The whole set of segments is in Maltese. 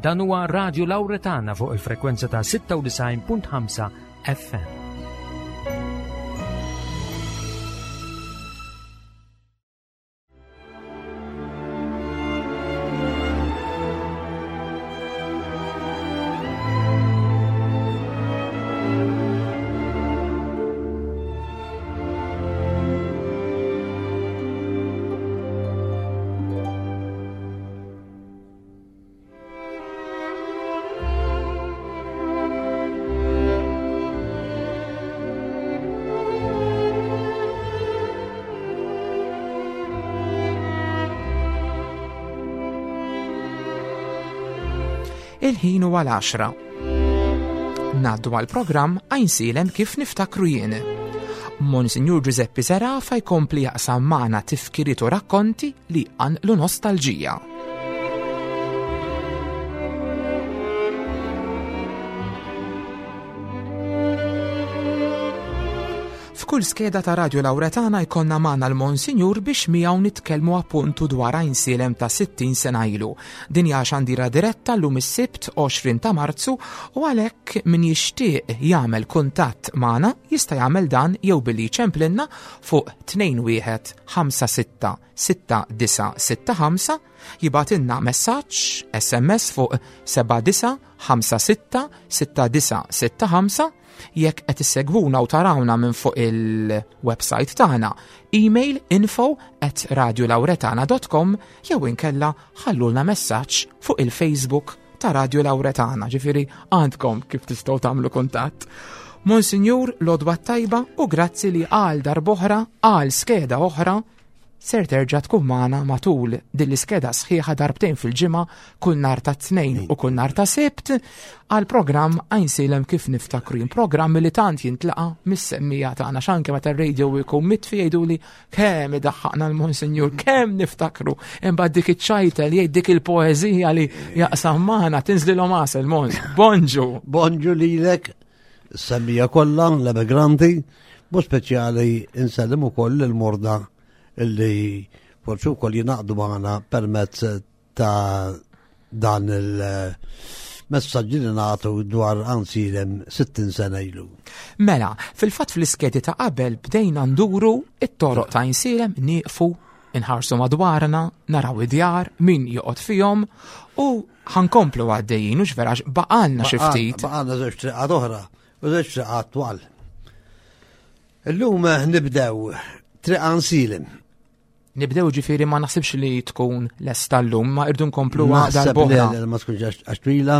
Dan huwa Radio Lauretana fuq il-frekwenza ta' 96.5 FM. Il-ħin huwa l-għaxra. Ngħaddu għall-programm Għajnsielem kif niftakru jien. Monsinjur Giuseppe Serafa jkompli jaqsam magħna tifkiriet u rakkonti li jqanqlu nostalġija. F'kull skeda ta' Radio Lauretana jkollna magħna l-Monsinjur biex miegħu nitkellmu appuntu dwar Għajnsielem ta' 60 sena ilu. Din hija xandira diretta llum is-Sibt 20 ta' Marzu u għalhekk min jixtieq jagħmel kuntatt magħna jista' jagħmel dan jew billi jċemplinna fuq 21 56 6965, jibgħatilna messaġġ SMS fuq 79 56 6965, jekk qed issegwuna u tarawna minn fuq il-website tagħna, email info at radiolauretana.com jew inkella ħallulna messaġġ fuq il-Facebook ta' Radio Lauretana, ġifieri għandkom kif tistgħu tagħmlu kuntatt. Monsinjur l-għodwa t-tajba u grazzi li għal darb'oħra, għal skeda oħra, ser terġa' tkun magħna matul din l-iskeda sħiħa darbtejn fil-ġimgħa kull nhar ta' Tnejn u kull nhar ta' Sibt għal programm Għajnsielem kif niftakru jien, programm li tant jintlaqa' mis-semmija tagħna x'anke meta r-radio jkun mitfi jgħiduli kemm idaħħaqna l-Monsinjur, kemm niftakru, imbagħad dik iċ-ċajta li jgħid dik il-poeżija li jaqsam magħna tinżlilhom għasel Mons. Bonġu. Bonġu lilek, semmija kollha l-emigranti, bu speċjali insellem ukoll il-morda illi forsi wkoll jingħaqdu magħna permezz ta' dan il-messaġġi li nagħtu dwar Għansielem 60 sena ilu. Mela, fil-fatt fl-iskedi ta' qabel bdejna nduru it-toroq ta' Għajnsielem nieqfu inħarsu madwarna, naraw id-djar, min joqgħod fihom u ħankomplu għaddejjin, u vera baqalna xi ftit. Baqalna żewġ triqat oħra u żewġ triqat twal. Illum nibdew triq Għansielem. Nibdew ġifieri ma naħsibx li tkun lesta llum, ma irdu nkomplu darb'oħra. Ma tkunx għax twila,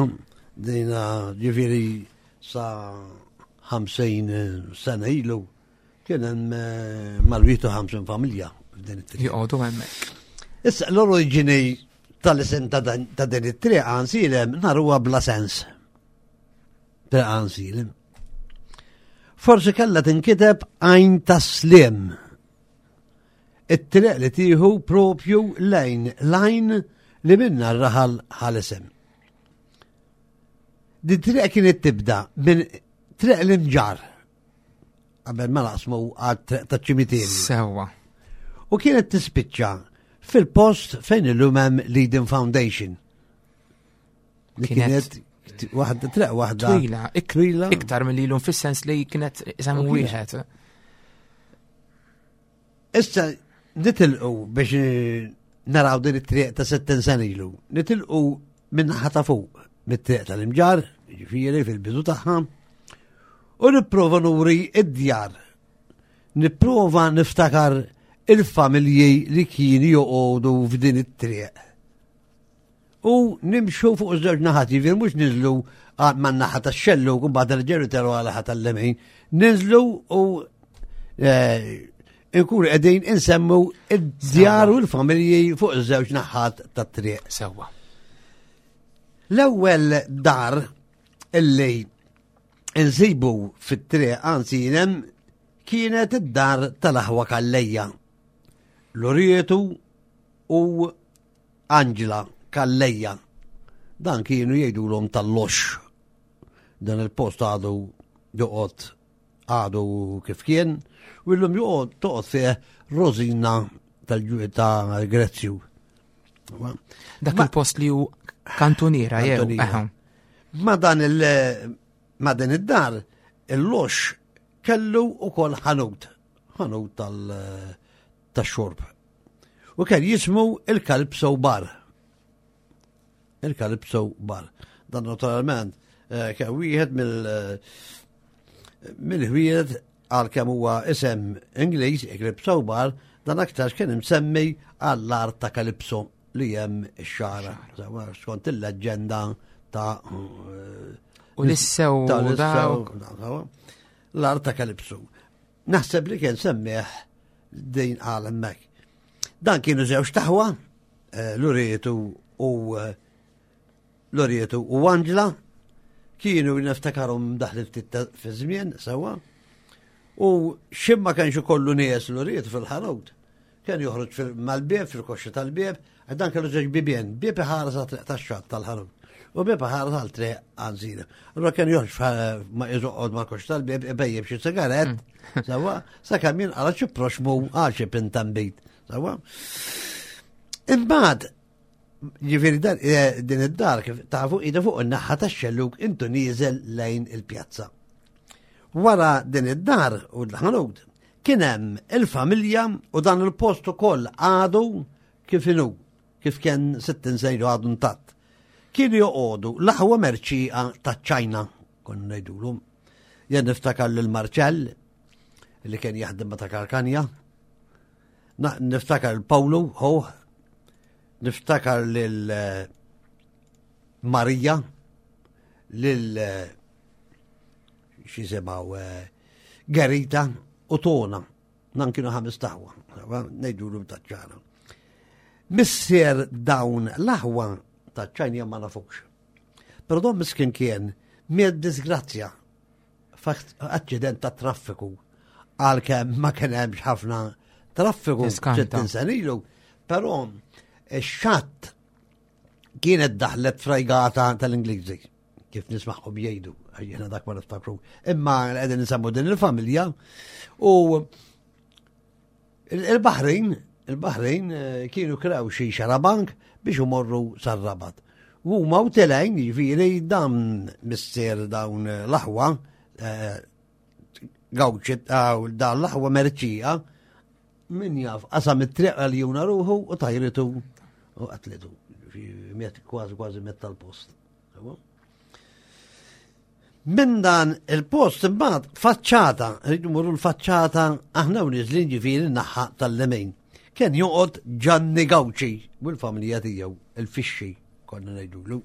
dina ġifieri sa 50 sena ilu kien hemm eh, mal-51 familja f'din it-triq. Joqogħdu hemmhekk. Issa l-oriġini tal-isem ta' din it-triq għansilem naruha bla sens. Triq Għansilem. Forsi kellha tinkiteb għajn tas-slim. It-triq li tieħu propju lejn lajn li minna r-raħal ħal-isem. Din triq kienet tibda minn triq l-imġar qabel ma naqsmu għal triq ta' ċimiterju. Sewwa. U kienet tispiċċa fil-post fejn illum hemm Leading Foundation. Li kienet waħda triq waħda. Twila, twila. Iktar mill-ilum fis-sens li kienet isem wieħed. Issa nitilqu biex eh, naraw din it-triq ta' 60 sena ilu. Nitilqu minn naħa ta' fuq, mit-triq tal-imġar, ġifieri fil-bidu tagħha, u nipprova nuri id-djar. Nipprova niftakar il-familji li kienu joqogħdu f'din it-triq. U nimxu fuq iż-żewġ naħat, jiġifieri mhux niżlu man naħa tax-xellu u mbagħad nerġgħu nitelgħu għal naħa tal-lemin. Niżlu u eh, nkunu qegħdin insemmu id-djar u l-familji fuq iż-żewġ naħat tat-triq. Sewwa. L-ewwel dar illi nsibu fit-triq anzi hemm kienet id-dar tal-aħwa Kallejja. Lurietu u Anġla Calleja. Dan kienu jgħidulhom tal-lox. Dan il-post għadu joqgħod għadu kif kien u llum joqgħod toqgħod fih Rosina tal-Grezzju. Dak il-post li hu Kantuniera jew. Ma dan il ma din id-dar il-lox kellu ukoll ħanut, ħanut tal tax-xorb. U kien jismu il-Kalb Bar. Il-Calypso Bar. Dan naturalment eh, kien wieħed mill eh, mill-ħwiet għal kemm huwa isem Ingliż, Calypso Bar, dan aktarx kien imsemmi għall-art ta' Calypso li hemm ix-xara. Skont il-leġġenda ta' eh, U l-issew dawk. L-art ta' Calypso. Naħseb li kien semmieħ din għal hemmhekk. Dan kienu żewġ taħwa, eh, Lurietu u eh, Lurietu u Angela kienu niftakarhom daħli ftit fi żmien sewwa. U ximma kienx ikollu nies Lurietu fil-ħanut. Kien joħroġ mal-bieb, fil-koxxa tal-bieb, dan kellu żewġ bibien, bieb iħares għat-triq tax-xatt tal-ħanut. U bieb iħares għal triq għanżina. Allura kien joħroġ ma iżoqgħod mal-koxxa tal-bieb ibejjeb xi sigarett, mm. sewwa, sakemm jinqala xi proxmu għal xi pintambit. Sewwa. Imbagħad ġifieri eh, din id-dar kif tafu ida fuq in-naħa tax-xelluk intu nieżel lejn il-pjazza. Wara din id-dar u l-ħanut kien hemm il-familja u dan il-post ukoll għadu kif inhu, kif kien 60 sejru għadu ntatt. Kienu joqogħdu l-aħwa merċieqa taċ-Ċajna, konna ngħidulhom. Jien niftakar lil Marċell li kien jaħdem ma' ta' Karkanja, Niftakar il-Pawlu, ħuh, niftakar lil eh, Marija, lil eh, xisimaw eh, Gerita u Tona. Nan kienu ħames taħwa, ngħidulu taċ-ċana. Missier dawn l-aħwa taċ-ċajnija ma nafux. Però don miskin kien miet disgrazzja f'aċċident ta' traffiku għalkemm ma kien hemmx ħafna traffiku 60 sena ilu, però x-xatt kienet daħlet frajgata tal-Ingliżi kif nismaħħom jgħidu, jiena dak ma niftakru. Imma qegħdin nsemmu din il-familja u Il-Baħrin, il-Baħrin eh, kienu krew xi xarabank biex imorru sar-Rabat. U huma u telgħin, jiġifieri dan missier dawn l-aħwa eh, gawċi dan l-aħwa merċija min jaf qasam it-triq għal juna ruħu u tajritu u qatlitu. Miet kważi kważi miet tal-post. Minn dan il-post imbagħad faċċata, rridu morru l-faċċata aħna u niżlin ġifieri naħa tal-lemin. Kien joqgħod Ġanni Gawċi u l-familja tiegħu, il-fixxi konna ngħidulu.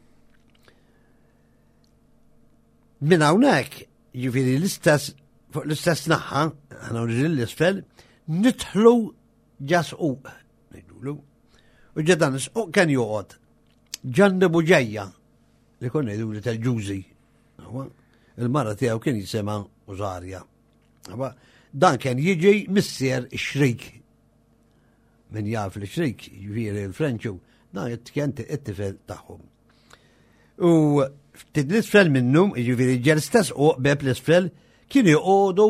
Minn hawnhekk, ġifieri l-istess fuq l-istess naħa, aħna u niżlin l-isfel, nidħlu ġasquq, ngħidulu. U ġedan isquq kien joqgħod Ġanni Buġejja li konna jgħidu li tal-ġużi. Il-mara tiegħu kien jisimha Użarja. Dan kien jiġi missier ix-xrik. Min jaf li xrik, jiġifieri l-Frenċu, dan kien it-tifel tagħhom. U ftit l-isfel minnu, jiġifieri ġer stess u beb l-isfel, kien joqogħdu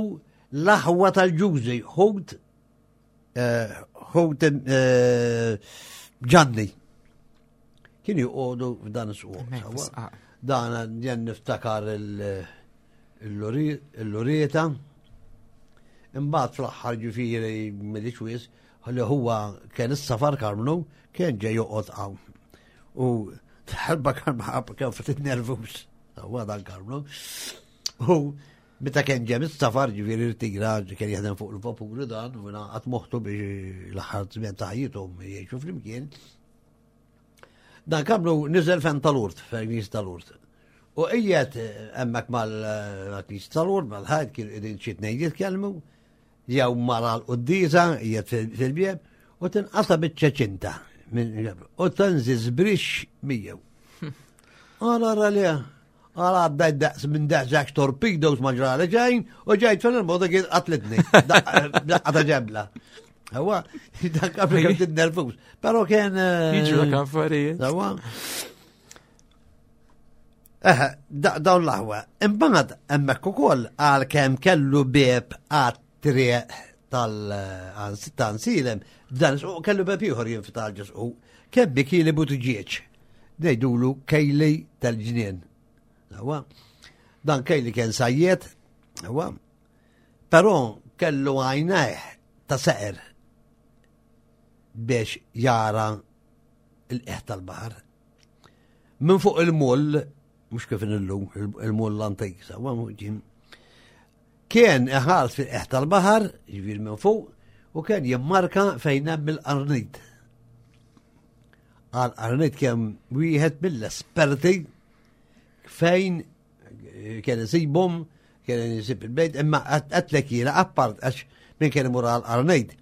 l-aħwa tal-ġużi, ħut eh, ħut eh, Ġanni. Kien joqogħdu f'dan is-suq. Dan jen niftakar il-lurieta. Imbagħad fl-aħħar ġifieri mill-ċwies li huwa kien is-safar Karmnu kien ġej joqgħod hawn. U ħalba Karmnu kien ftit nervus. Huwa dan Karmnu. U Meta kien ġem is-safar ġifieri rtira kien jaħdem fuq il-vapuri dan u ngħaqad moħħtu biex l-aħħar żmien ta' ħajjithom jgħixu flimkien. Dan kamlu niżel fejn tal-urt, fejn knis tal-urt. U qiegħed hemmhekk mal-knis tal-urt, mal-ħajt kien qegħdin xi tnejn jitkellmu, jew mara l-quddiesa qiegħed fil-bieb u tinqasa biċċa ċinta u tanzi żbrix miegħu. Għala ra li Għala għaddajt daqs minn daqs torpedoes ma ġrali ġejn u ġejt fil il-moda kien qatlitni. Daqqa ta' ġebla. Huwa, dak qabel kemm tinnervus. Però kien. Eh, Jiġu dak affarijiet. Huwa. Eh, dawn l-aħwa. Imbagħad hemmhekk ukoll għal kemm kellu bieb għat-triq tal-ansilem, dan kellu bieb ieħor jinfitaħ ġisqu. Kemm bikili butġieġ. ngħidulu Kejli tal-ġnien. Dan Kejli kien sajjiet, però kellu għajnejh ta' seqer biex jara l-qiegħ tal-baħar. Minn fuq il-mull, mhux kif illum, il-mull l-antik, sawa kien iħares fil-qiegħ tal-baħar, ġifieri minn fuq, u kien jimmarka fejn hemm il-qarnit. Għal qarnit kien wieħed mill-esperti fejn kien isibhom, kien isib il-bejt, imma għatlek jiena appart għax min kien imur għal qarnit,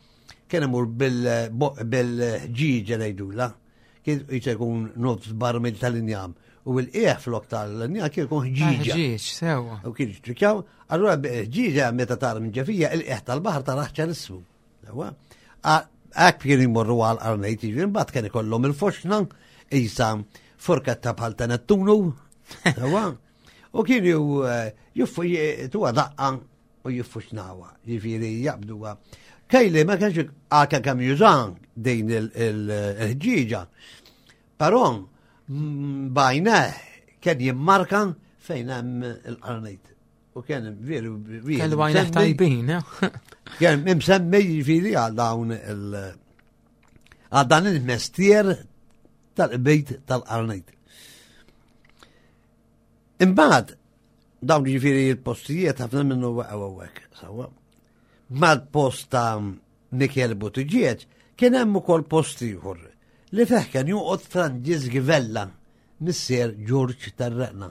kien imur bil-ħġieġa ngħidula, kien jkun nofs barmil tal-injam. U l-qieħ flok tal-injam kien ikun ħġieġa. Ħġieġ, sewa. U kien jiċċikjaw, allura ħġieġa meta tara minn ġefija il-qieħ tal-baħar tara ċarissmu. Sewa. Hekk kien jmorru għal qarnejt, jiġifieri mbagħad kien ikollhom il-foxna isa forketta bħal ta' Nettunu. Sewa. U kienu eh, juffu tuwa daqqa u jiffuxnawa, jiġifieri jaqbduha. Kejli ma kienx għaka kemm jużan din il-ħġieġa, però mm, bajna kien jimmarka fejn hemm il-qarnejt. U kien veru Kellu għajna tajbin, eh? Kien imsemmi jiġifieri għal dawn il- għal dan il-mestier tal-bejt tal-qarnejt. Imbagħad dawn jiġifieri l-postijiet ħafna minnu waqgħu hawnhekk, sewwa. Mal-post ta' Mikel Buttigieg kien hemm ukoll post ieħor li fih kien joqgħod Franġisk Vella, missier Ġorġ Terreqna.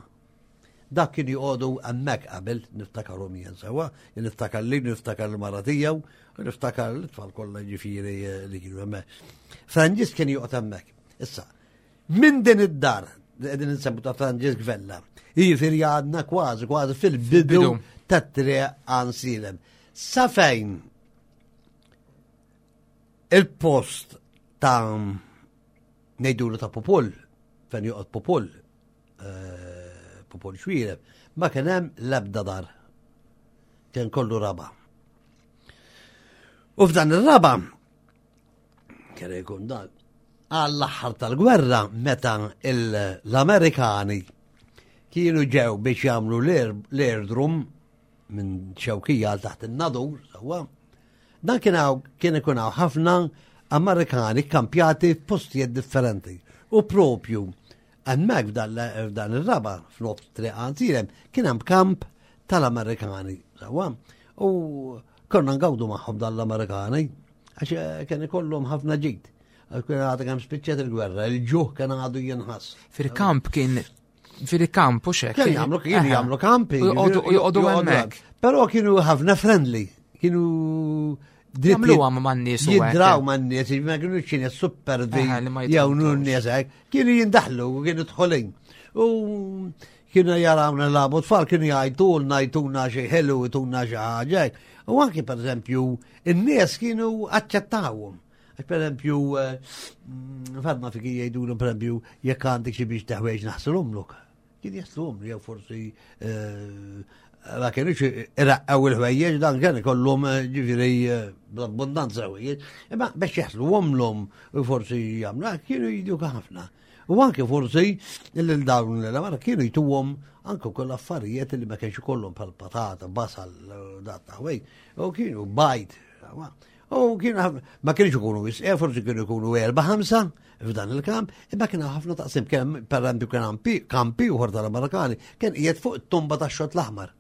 Dak kien joqogħdu hemmhekk qabel, niftakarhom jien sewwa, jien niftakar li niftakar l-mara tiegħu, u niftakar l-tfal kollha ġifieri eh, li kienu hemmhekk. Franġisk kien joqgħod hemmhekk. Issa, Minn din id-dar li qegħdin insemmu ta' Franġisk Vella, jiġifieri għadna kważi kważi fil-bidu tat-triq Għansilem. Sa fejn il-post ta' ngħidulu ta' Popol, fejn joqgħod Popol, eh, Popol Xwireb, ma kien hemm l-ebda dar. Kien kollu raba. U f'dan ir-raba Kien jkun dan. Għall-aħħar tal-gwerra meta l-Amerikani kienu ġew biex jagħmlu l-airdrum minn xewkija għal taħt in-nadur, sewwa. Dan kien kien ikun hawn ħafna Amerikani kampjati f'postijiet differenti. U propju hemmhekk f'dan ir-raba f'nofs triq għantirem kien hemm kamp tal-Amerikani, sewwa. U konna ngawdu magħhom dan l-Amerikani. Għax eh, kien ikollhom ħafna ġid. Għax kien għadha kemm spiċċet il-gwerra, il-ġuħ kien għadu jinħass. Fil-kamp kien fil-kamp u xek. Kien jagħmlu kienu jagħmlu kampi. U joqogħdu hemmhekk. Però kienu ħafna friendly, kienu Jagħmlu għam man-nies u Jidraw man-nies, ma kienu xini super di jew n-nies hekk, kienu jindaħlu u kienu dħolin. U kienu jarawna labu tfal, kienu jgħajtulna, jtuna xi ħelu, jtuna xi ħaġa. U anki per eżempju, in-nies kienu aċċettawhom. Għax per eżempju, eh, mm, fadna fi kien jgħidulhom per eżempju, jekk għandek xi biex teħwejġ naħsilhomlok. Kien jaħsilhom jew forsi eh, ma kienux iraqqaw il-ħwejjeġ dan kien ikollhom eh, ġifieri bl-abbondanza ħwejjeġ, imma biex jaħsluhomlhom u forsi jagħmlu kienu jiduk ħafna. U anke forsi lil dawn l-amara kienu jtuhom anke wkoll affarijiet li ma kienx ikollhom bħal patata, basal, dat taħwej, u kienu bajd. U kienu ma kienx ikunu wisq, eh, forsi kienu jkunu erba' ħamsa f'dan il-kamp, imma kienu ħafna taqsim kemm per eżempju kien kampi uħor tal-Amerikani kien qiegħed fuq it-tumba tax-xott l-aħmar.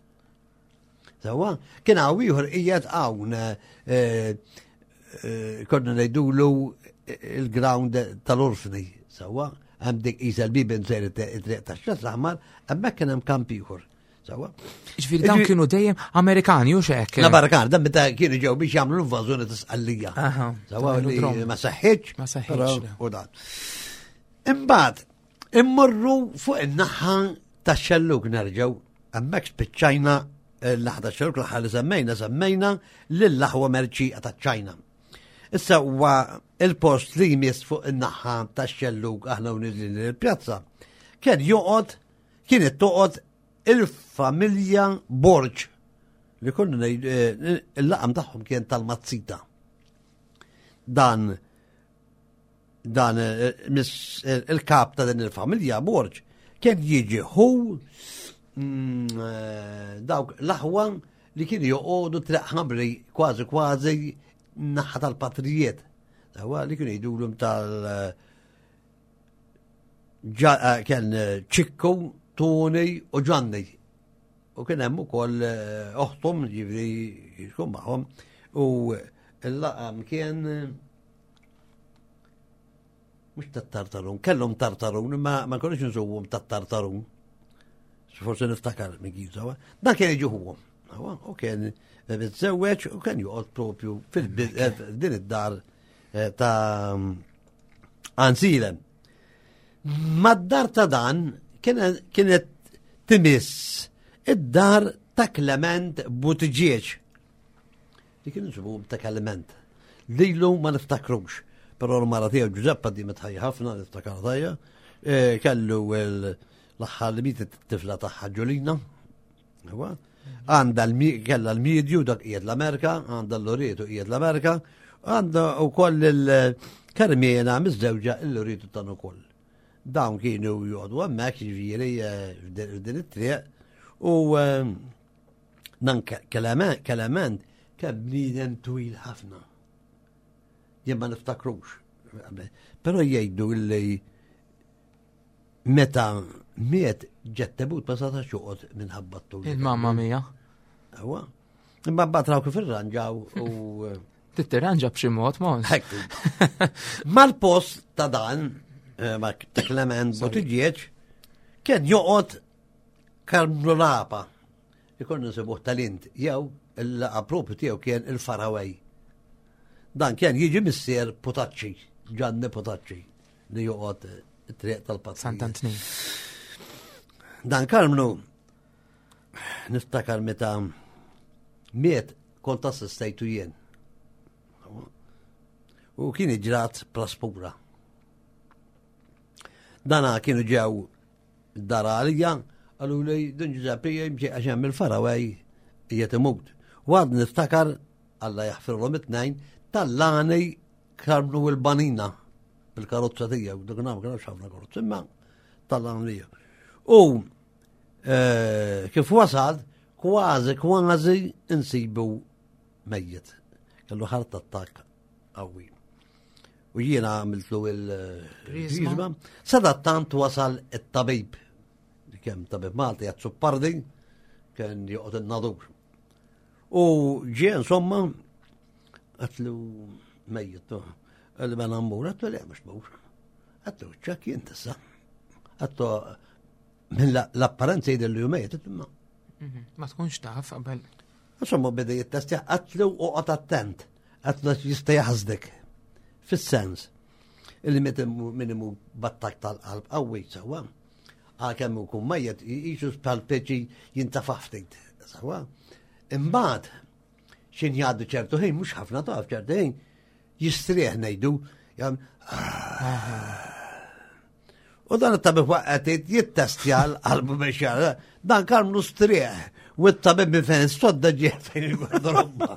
Sewa, kien hawn ieħor qiegħed hawn eh, eh, konna ngħidulu il-ground tal-orfni, sewa, hemm dik qisha l-bibin sejr it-triq tax-xatt l-aħmar, hemmhekk kien hemm kamp ieħor. Sewa. Ġifieri dawn kienu dejjem Amerikani u xek. L-Amerikani, dan meta kienu ġew biex jagħmlu l-invażjoni ta' Sqallija. Sewa li ma seħħitx. Ma seħħitx. U dan. Imbagħad immorru fuq in-naħa tax-xelluk nerġgħu Hemmhekk spiċċajna eh, l-aħda xelluk l-aħħar li semmejna, semmejna lill-aħwa merċieqa taċ-Ċajna. Issa huwa il-post li jmiss fuq in-naħa tax-xelluk aħna u niżlin il-pjazza. Kien joqgħod kienet toqgħod il-familja Borġ li konna eh, il-laqam tagħhom kien tal-Mazzita. Dan Dan eh, eh, il-kap ta' din il-familja Borġ kien jiġi hu dawk l-aħwa li kienu joqogħdu triq ħamri kważi kważi naħa tal-patrijiet. Dawa li kienu jgħidulhom tal- kien Ċikku, Toni u Ġanni. U kien hemm ukoll eh, oħthom ġifieri jkun magħhom u l-laqam kien mhux tat-tartarun, kellhom tartarun, imma ma konniex nżuhom tat-tartarun. Forse niftakar minn kif sawa. Dan kien jiġi ħuhom. U kien miżżewweġ u kien joqgħod propju fil-din eh, id-dar eh, ta' Anzilem. Mad-dar ta' dan kienet timiss id-dar ta' Clement Buttigieg. Li kien nsibuhom ta' Clement. Lilu ma niftakrux. Però l-mara tiegħu Giuseppa di mitħajja ħafna niftakar tajja. E, kellu l-aħħar li mietet it-tifla tagħha Ġulina. Għandha kella l-medju dak qiegħed l-Amerika, għandha l-Lorietu qiegħed l-Amerika, għandha wkoll il-Karmena miżżewġa l-Lorietu tan ukoll. Dawn kienu joqogħdu hemmhekk jiġifieri eh, f'din it-triq u eh, dan Kelement kien bniedem twil ħafna. Jien ma niftakrux. Però jgħidu li Meta miet ġet tebut ma setax joqgħod minħabba t-tul. Il-mamma mija. Ewa. Imma mbagħad raw kif irranġaw u eh, Tittirranġa b'xi mod mod. Mal-post ta' dan, eh, ma' ta' Clement Buttigieg, kien joqgħod Karmnu Lapa. Ikun nsibuh tal-int jew il-laqa propju tiegħu kien il-Faraway. Dan kien jiġi missier Putacci, Gianni Putacci. li joqgħod it-triq tal-Patrijiet. Sant'Antnin. Dan Karmnu niftakar meta miet kont assistejtu jien. U kien iġrat praspura. Dana kienu ġew dar għalija, għallu li dun Giuseppe jimxie għax hemm il-farawaj jiet imut. U għad niftakar Alla jaħfirhom it-tnejn tal-lani Karmnu il-banina bil-karozza tiegħu, dak ma kienx ħafna karozza, imma tal-għamlija. U eh, kif wasal, kważi kważi insibu mejjet. Kellu ħart attakk qawwi. U jiena għamiltlu il-rizma. Sadattant wasal it-tabib. Kemm tabib Malti għat-suppardi, kien joqgħod in-nadur. U ġie insomma, għatlu mejjet, għalli ma nammur, għatlu le mux mur. Għatlu ċak jien tissa. Għatlu minn l-apparenza jidher li mejjet, imma. Mhm, ma tkunx taf qabel. Insomma, beda jittestja, għatlu u għat attent, għatlu jista' jaħsdek. Fis-sens, illi meta minimu battak tal-qalb qawwi sewwa. Għalkemm ikun mejjet jisu tal-peċi jintafa' ftit. Sewwa. Imbagħad xin jgħaddu ċertu ħin, mhux ħafna taf ċertu ħin, jistrieħ ngħidu, jam U dan it-tabib waqgħet jittestja l-qalbu biex jara, dan karmnu strieħ u t-tabib minn fejn sodda ġieħ fejn il-gardarobba.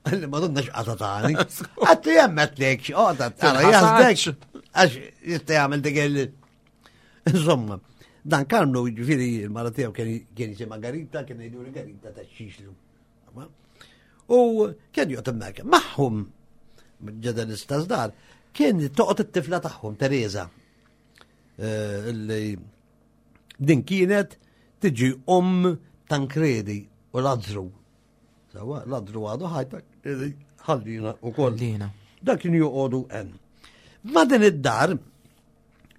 Għalli ma donna xqata tani. Għattu jemmet lek xqata tani. Jazdek. Għax jista jgħamil dik il. Insomma, dan Karmnu ġifiri il-mara tiegħu kien jisimha Garita, kien jgħidu li Garita ta' xixlu. U kien joqgħod hemmhekk. Magħhom ġeda l-istess dar, kien toqgħod it-tifla tagħhom Teresa. Eh, li din kienet tiġi om Tankredi u Lazzru. Sawa, ladru għadu ħajta, ħallina u koll. Ħallina. Dak kien joqogħdu hemm. Ma din id-dar,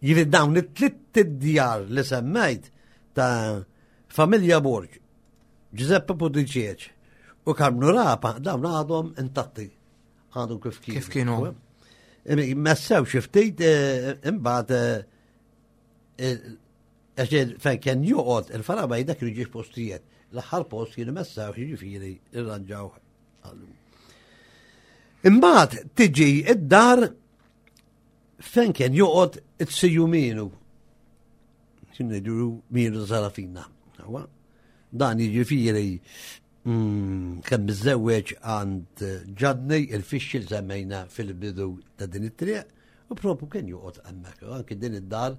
jiġifieri dawn it-tlitt id-djar li semmejt ta' familja Borg, Giuseppe Putiċieċ u Karmnu Rapa, dawn għadhom intatti. Għadhom kif kienu. Kif kienu. Messew xi ftit eh, imbagħad eh, Għax fejn kien joqgħod il-farabaj dak kienu ġiex postijiet. L-aħħar post kienu messaw jiġifieri irranġaw għallu. Imbagħad tiġi id-dar fejn kien joqgħod it-siju mienu. Kien ngħidu mienu Sarafina. Dan jiġifieri mm, kemm miżżewweġ għand Ġadni il-fixxi li semmejna fil-bidu ta' din it-triq. U propju kien joqgħod hemmhekk, anki din id-dar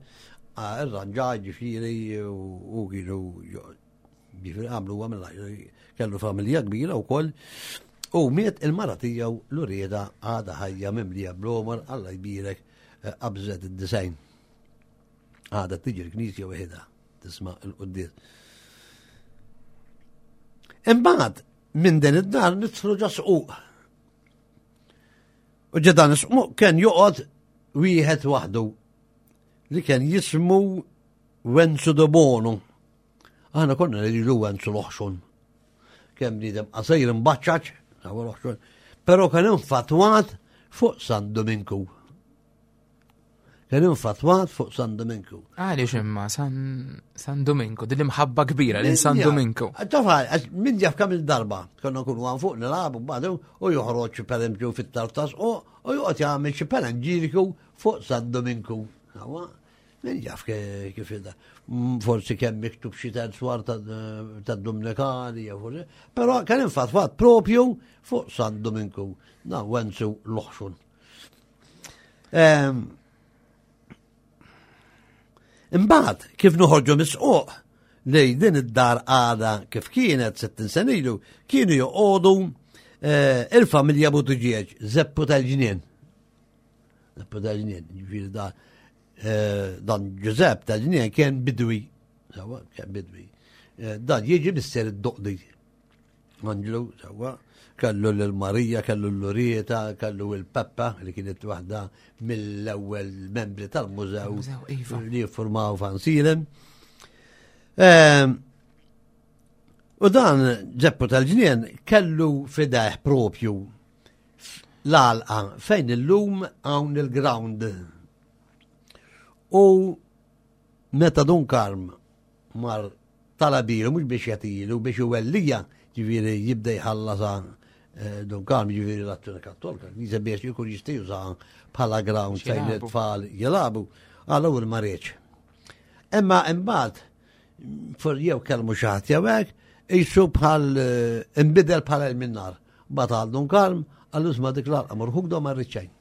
irranġa ġifieri u kienu ġifieri għamlu għamil kellu familja kbira wkoll. U miet il-mara tiegħu l-urieda għadha ħajja mimlija blomor Alla jbierek eh, qabżet id-disajn. Għadha tiġi l-knisja weħidha tisma' l-quddies. Imbagħad minn din id-dar nidħlu ġo squq. U ġo dan is-squq kien joqgħod wieħed waħdu li kien jismu Wenzu de Bono. Aħna konna ngħidu Wenzu l-oħxon. Kemm bniedem qasir imbaċċaċ, l-oħxon, però kien infatwat fuq San Dominku. Kien infatwat fuq San Dominku. Għaliex imma San, San Dominku, din l-imħabba kbira lil San Dominku. Tafa, min jaf kemm il-darba, konna nkunu għan fuq nilagħbu badu u joħroġ pereżempju fit-tartas u joqgħod jagħmel xi panegiriku fuq San Dominku. Min jaf kif ida. Mm, forsi kemm miktub xi terzwar ta' Dominikani, jew forsi. Però kien infatwat propju fuq San Dominku, na Wenzu l-oħxun. Ehm, imbagħad kif noħorġu mis-suq li din id-dar għada kif kienet 60 sena ilu, kienu joqogħdu eh, il-familja Buttigieg, Zeppu tal-ġnien. Zeppu tal-ġnien, ġifieri da eh, dan Ġużepp tal-ġnien kien bidwi, kien bidwi. Eh, dan jiġi missier id-doqdi. Anġlu, sewwa, kellu lil Marija, kellu l-Lurieta, kellu l-Peppa li kienet waħda mill-ewwel membri tal-mużew iva. li jiffurmaw Fansilem. Ehm, u dan Ġeppu tal-ġnien kellu fideħ propju l-għalqa fejn illum hawn il-ground. U meta Dun Karm mar talabilu mhux biex jagħtilu biex iwellija, ġifieri jibda jħallasha eh, Dun Karm ġifieri l-Azzjoni Kattolika, knisja biex jkun jista' jużaha bħala ground fejn it-tfal jilagħbu, għal ma riedx. Imma imbagħad for jew kellmu xi ħadd jew hekk, jisu bħal eh, inbidel bħala il-minnar. Bat għal Dun Karm, għallu isma' dik l-għalqa morħuk do ma rridxejn.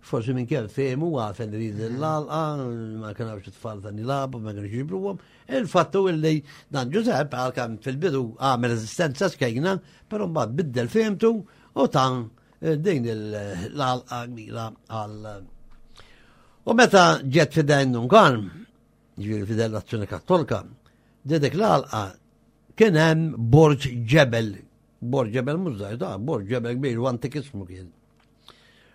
Forsi minn kien fehmu għafen rid l-għalqa, ma kien hawnx it-tfal ta' nilabu, ma kienx jiġbruhom. Il-fattu illi dan Ġużepp għalkemm fil-bidu għamel reżistenza skejna, però mbagħad biddel fehmtu u ta' eh, din l-għalqa kbira għal. U meta ġiet fidejn Dun Karm, ġifieri fidejn l-Azzjoni Kattolika, dik l-għalqa kien hemm borġ ġebel, borġ ġebel mhux żgħir, ta' borġ ġebel kbir u antikismu kien.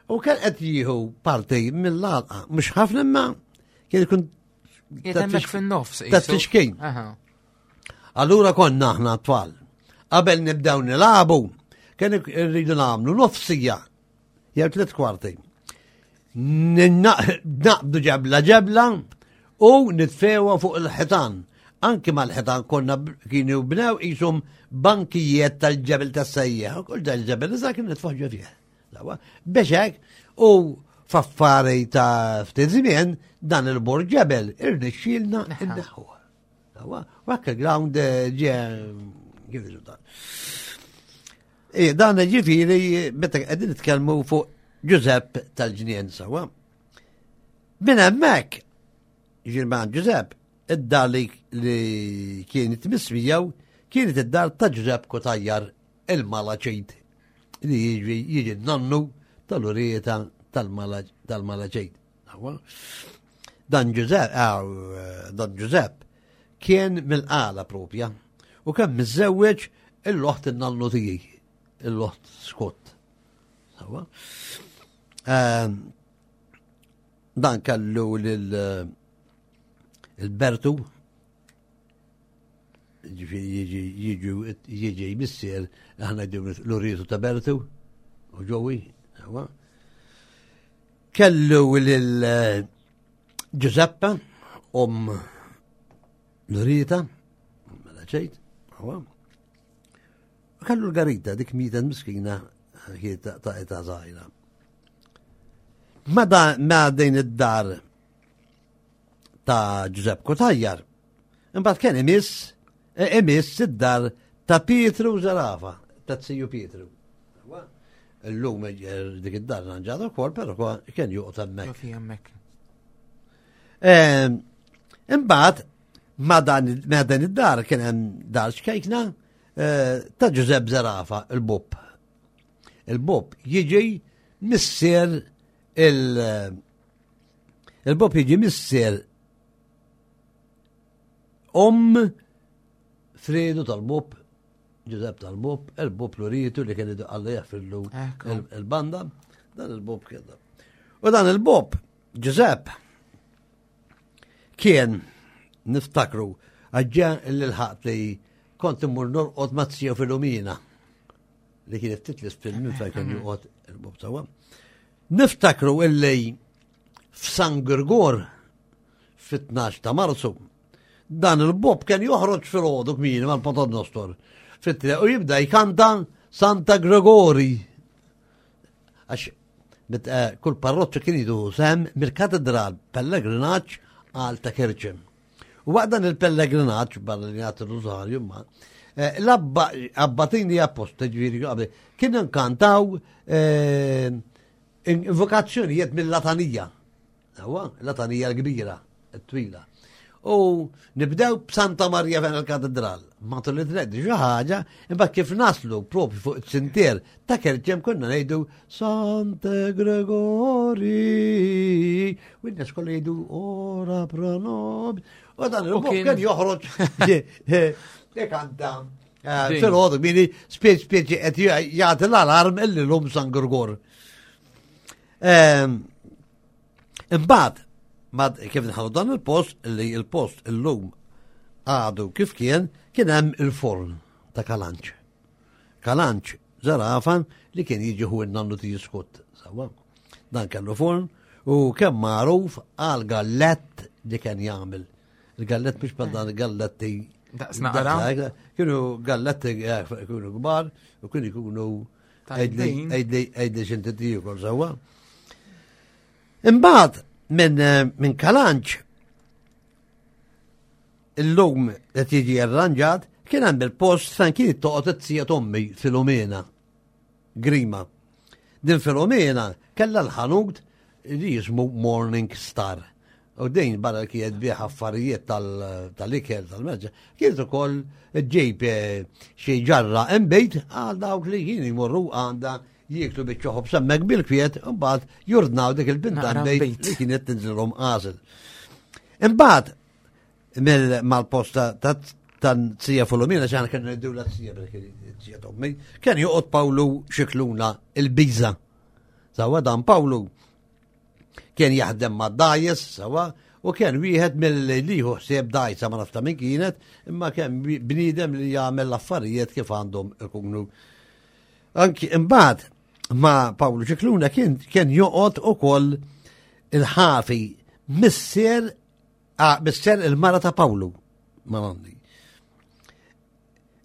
U kien qed jieħu parti mill-għalqa, mhux ħafna imma kien ikun Hemmhekk fin-nofs. Ta' tfixkejn. Allura konna aħna tfal. Qabel nibdew nilagħbu, kien irridu nagħmlu nofsija jew tliet kwarti. Naqbdu ġebla ġebla u nitfewa fuq il-ħitan. Anki mal-ħitan konna kienu bnew qishom bankijiet tal-ġebel tas-sejjeħ, u kull dal-ġebel iżda kien nitfaħ fih. Biex hekk, u f'affari ta' ftit żmien dan il-bord ġebel irnexxielna inneħħuh. U hekk il-ground eh, ġie kif dan. Eh, dan ġifieri meta qegħdin nitkellmu fuq Ġużepp tal-ġnien sawa. Minn hemmhekk, ġifieri ma' Ġużepp, id-dar li kienet mismijaw kienet id-dar ta' Ġużepp Kotajjar il-Malaċid li jiġi jiġi nannu tal-urieta tal-Malaċid. Dan Ġużepp, eh, dan Ġużepp kien mill-qala propja u kemm miżżewweġ il-loħt in-nannu tiegħi, il-loħt Scott. Ehm, dan kellu lil eh, il-Bertu Jiġi jiġi missier aħna l-urietu ta' Bertu u ġowi. Kellu lil eh, Giuseppe om l-urieta, mela ċejt, Kellu l-garita dik mita miskina ta' età żgħira. Ma din id-dar ta' Ġużepp Kotajjar. Imbagħad kien imiss e, imiss id-dar ta' Pietru Zarafa, ta' Siju Pietru. Illum eh, dik id-dar ranġata wkoll, però kien joqgħod hemmhekk. hemmhekk. Ehm, imbagħad ma dan id-dar kien hemm dar xkejkna eh, ta' Ġużepp Zerafa, il-Bob. Il-Bob jiġi missier il- Il-Bob jiġi missier om Fredu tal-Bob, Ġużepp tal-Bob, il-Bob Luritu li kien Alla jaffillu il-banda, dan il-Bob kien. U dan il-Bob, Ġużepp, kien niftakru għagġa l-ħat li kont immur norqod ma' tija Filomena li kienet titlis fil-minn fejn kien joqgħod il-Bob sawa. Niftakru illi f'San Girgor fit-12 ta' Marzu dan il-Bob kien joħroġ fil-ħodu kmieni mal-Pater Nostor fit-triq u jibda jkanta Santa Gregori. Għax eh, kull parroċċa kien jidu sem mill-katedral pellegrinaġġ għal ta' Kerċem. U waqt dan il-pellegrinaġġ barra li jagħti rużarju ma eh, l-abbatini apposta ġifieri qabel kienu nkantaw eh, invokazzjonijiet mill-latanija. Huwa, latanija l-kbira, t-twila. U nibdew b'Santa Marija fejn il-katedral. Matul li treddi xi ħaġa, imbagħad kif naslu propju fuq it-sintier ta' Kerċem konna ngħidu Sante Gregori. U n-nies kollha jgħidu ora pro nobis. U dan il-bok kien joħroġ ikanta. Eh, fil-ħodu, mini spieċ spieċ qed jagħti l-alarm illi l-lum San Gregor. Ehm, imbagħad, kif nħallu dan il-post, li il-post illum għadu kif kien, kien hemm il-forn ta' Kalanċ. Kalanċ zarafa li kien jiġi hu n-nannu ti jiskut. Sawa. Dan kellu forn u kemm magħruf għal gallett li kien jagħmel. Il-gallett mhux bħal dan il-galletti. Daqs naqra. Kienu galletti eh, kienu kbar u kienu jkunu Għidli xinti tiekol sewwa. Imbagħad minn eh, min Kalanċ illum qed jiġi arranġat kien hemm il-post fejn kien toqgħod it-tija tommi Filomena Grima. Din Filomena kellha l-ħanut li jismu Morning Star. U din barra li kienet bieħ affarijiet tal-ikel tal-merġa, kienet ukoll ġejb eh, xi ġarra imbejt għal dawk li kien jmorru għandha jieklu biċċa ħobż hemmhekk bil-kwiet, imbagħad jurdnaw dik il-binta imbejt li kienet tinżilhom għażel. Imbagħad mal-posta ta' tan sija Folomina, ċaħna kien ngħidu la sija sija tommi, kien joqgħod Pawlu Xikluna il-Biża. Sawa dan Pawlu Kien jaħdem ma' dajes sawa u kien wieħed mill-li ħsieb dajsa ma nafta minn kienet, imma kien bniedem li jagħmel l-affarijiet kif għandhom ikunu. Anki imbagħad ma' Pawlu Ċikluna kien kien joqgħod ukoll il-ħafi missier ah, missier il-mara ta' Pawlu ma'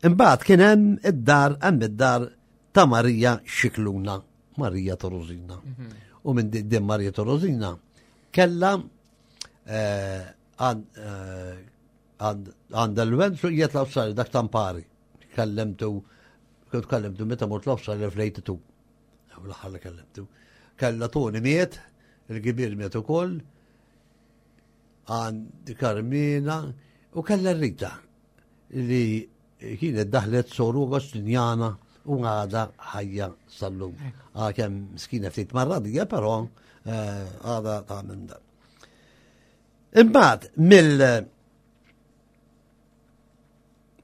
Imbagħad kien hemm id-dar hemm id-dar ta' Marija Xikluna, Marija Torosina. Mhm. U minn din Marija Torosina kella eh, eh, għandha l-wenzu jiet l-Awstralja dak tampari. Kellemtu, kont kellemtu meta mort l-Awstralja fl-82. L-aħħar li kellemtu. Kella Toni miet, il-kbir miet ukoll, għand Karmina u kella Rita li kienet daħlet soru Agostinjana u għada ħajja sal-lum. Għakem miskina ftit marradija, però eh, għada ta' minn dan. Imbagħad mill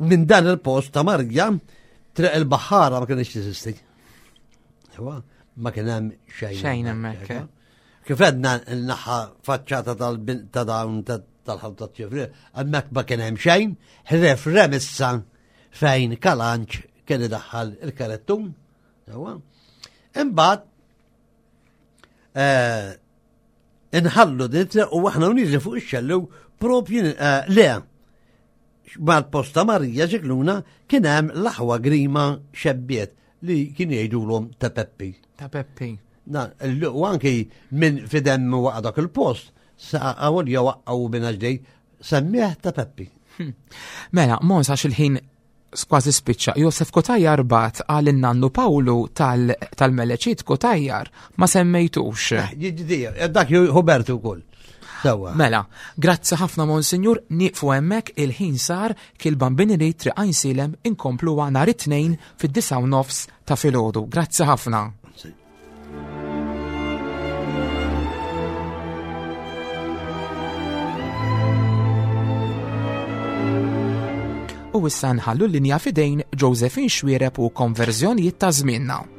minn dan il-post ta' Marja triq il-baħħara ma kienx teżisti. Ewa, ma kien hemm xejn. Xejn hemmhekk. Eh. Kif għedna n-naħa faċċata ta' dawn tal-ħalta ċifri, hemmhekk ma kien hemm xejn, ħref remissa fejn kalanċ kien idaħħal il-karettun. Ewa. Imbagħad eh, inħallu din u aħna uniżi fuq ix-xellu propju eh, le mal-posta Marija Ġikluna kien hemm l-aħwa Grima xebbiet li kien jgħidulhom ta' Peppi. Ta' Peppi. Na, u anki minn fidem waqa' dak il-post, sa għawol jew waqqgħu minn ġdej, semmieħ ta' Peppi. Mela, mons għax il-ħin Kważi spiċċa, Josef Cutajar bat għal in-nannu Pawlu tal-Meleċit Cutajar, ma semmejtux. Eh, dak Hubertu wkoll. Sewa. Mela, grazzi ħafna Monsinjur, nieqfu hemmhekk il-ħin sar kil-bambini li triq Għajnsielem inkompluha nhar it-Tnejn fid-disgħa u nofs ta' filgħodu. Grazzi ħafna. U issa nħallu l-linja fidejn Josephine Xuereb u konverżjonijiet ta' żmienna.